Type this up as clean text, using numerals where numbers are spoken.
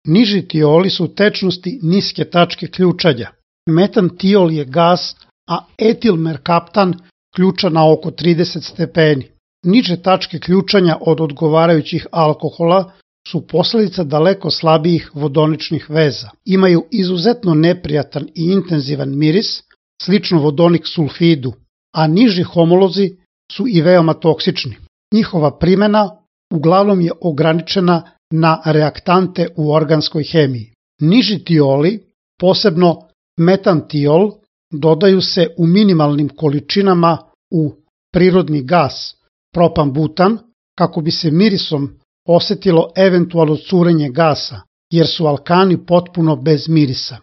Niži tioli su tečnosti niske tačke ključanja. Metantiol je gas, a etilmerkaptan ključa na oko 30 stepeni. Niže tačke ključanja od odgovarajućih alkohola su posledica daleko slabijih vodoničnih veza. Imaju izuzetno neprijatan i intenzivan miris, slično vodonik sulfidu, a niži homolozi su i veoma toksični. Njihova primena uglavnom je ograničena na reaktante u organskoj hemiji. Niži tioli, posebno metantiol, dodaju se u minimalnim količinama u prirodni gas, propan-butan, kako bi se mirisom osetilo eventualno curenje gasa, jer su alkani potpuno bez mirisa.